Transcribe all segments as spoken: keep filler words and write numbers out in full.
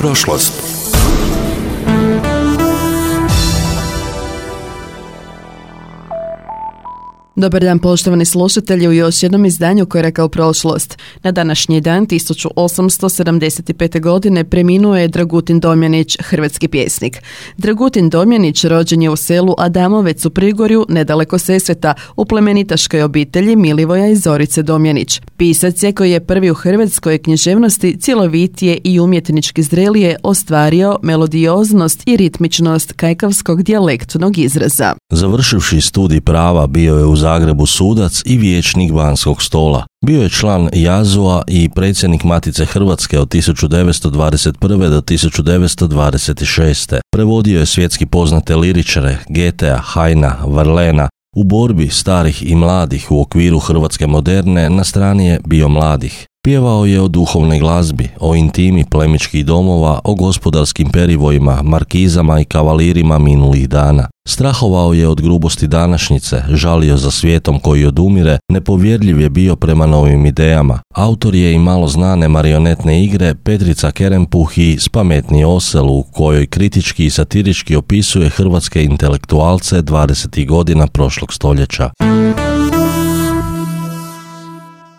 prošlost. Dobar dan, poštovani slušatelji, u još jednom izdanju Koraka u prošlost. Na današnji dan tisuću osamsto sedamdeset pete. godine preminuo je Dragutin Domjanić, hrvatski pjesnik. Dragutin Domjanić rođen je u selu Adamovec u Prigorju, nedaleko Sesveta, u plemenitaškoj obitelji Milivoja i Zorice Domjanić. Pisac je koji je prvi u hrvatskoj književnosti cjelovitije i umjetnički zrelije ostvario melodioznost i ritmičnost kajkavskog dijalektnog izraza. Završivši studij prava bio je u Zagrebu sudac i vijećnik Banskog stola. Bio je član Jazua i predsjednik Matice Hrvatske od tisuću devetsto dvadeset prve. do tisuću devetsto dvadeset šeste. Prevodio je svjetski poznate liričare Goethea, Heina, Verlaina. U borbi starih i mladih u okviru hrvatske moderne na strani je bio mladih. Pjevao je o duhovnoj glazbi, o intimi plemičkih domova, o gospodarskim perivojima, markizama i kavalirima minulih dana. Strahovao je od grubosti današnjice, žalio za svijetom koji odumire, nepovjerljiv je bio prema novim idejama. Autor je i malo znane marionetne igre Petrica Kerempuh i Spametni osel, u kojoj kritički i satirički opisuje hrvatske intelektualce dvadesetih godina prošlog stoljeća.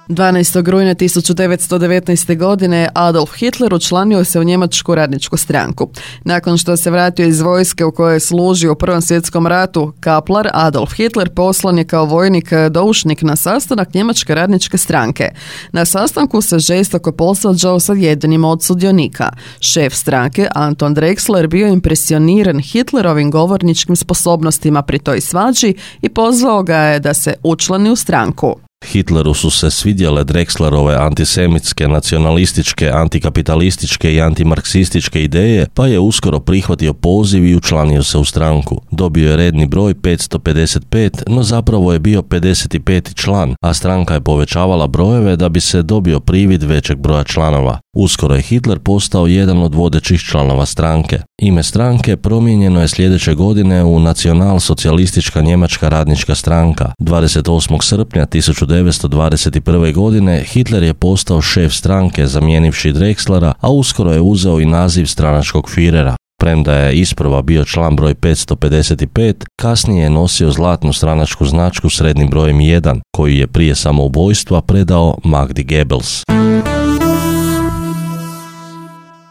dvanaestog rujna tisuću devetsto devetnaeste. godine Adolf Hitler učlanio se u Njemačku radničku stranku. Nakon što se vratio iz vojske u kojoj je služio u Prvom svjetskom ratu, kaplar Adolf Hitler poslan je kao vojnik doušnik na sastanak Njemačke radničke stranke. Na sastanku se žestoko posvađao sa jednim od sudionika. Šef stranke, Anton Drexler, bio impresioniran Hitlerovim govorničkim sposobnostima pri toj svađi i pozvao ga je da se učlani u stranku. Hitleru su se svidjele Drexlerove antisemitske, nacionalističke, antikapitalističke i antimarksističke ideje, pa je uskoro prihvatio poziv i učlanio se u stranku. Dobio je redni broj petsto pedeset pet, no zapravo je bio pedeset peti član, a stranka je povećavala brojeve da bi se dobio privid većeg broja članova. Uskoro je Hitler postao jedan od vodećih članova stranke. Ime stranke promijenjeno je sljedeće godine u Nacionalsocijalistička njemačka radnička stranka. dvadeset osmog srpnja tisuću devetsto dvadeset prve. godine Hitler je postao šef stranke zamijenivši Drexlera, a uskoro je uzeo i naziv stranačkog firera. Premda je isprva bio član broj petsto pedeset pet, kasnije je nosio zlatnu stranačku značku s rednim brojem jedan, koji je prije samoubojstva predao Magdi Goebbels.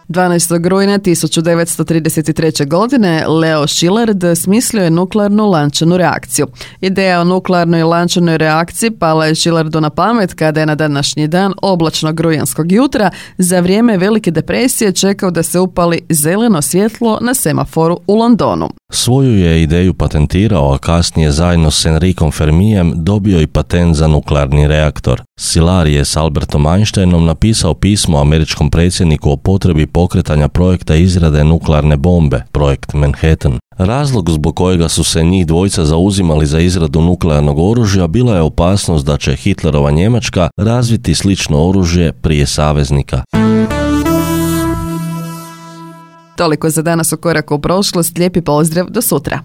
dvanaestog rujna tisuću devetsto trideset treće. godine Leo Szilard smislio je nuklearnu lančanu reakciju. Ideja o nuklearnoj lančanoj reakciji pala je Šilardu na pamet kada je na današnji dan oblačnog rujanskog jutra za vrijeme Velike depresije čekao da se upali zeleno svjetlo na semaforu u Londonu. Svoju je ideju patentirao, a kasnije zajedno s Enricom Fermijem dobio i patent za nuklearni reaktor. Szilard je s Albertom Einsteinom napisao pismo američkom predsjedniku o potrebi pokretanja projekta izrade nuklearne bombe, projekt Manhattan. Razlog zbog kojega su se njih dvojica zauzimali za izradu nuklearnog oružja bila je opasnost da će Hitlerova Njemačka razviti slično oružje prije saveznika. Toliko za danas u Koraku u prošlost. Lijepi pozdrav, do sutra.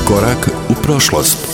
Korak u prošlost.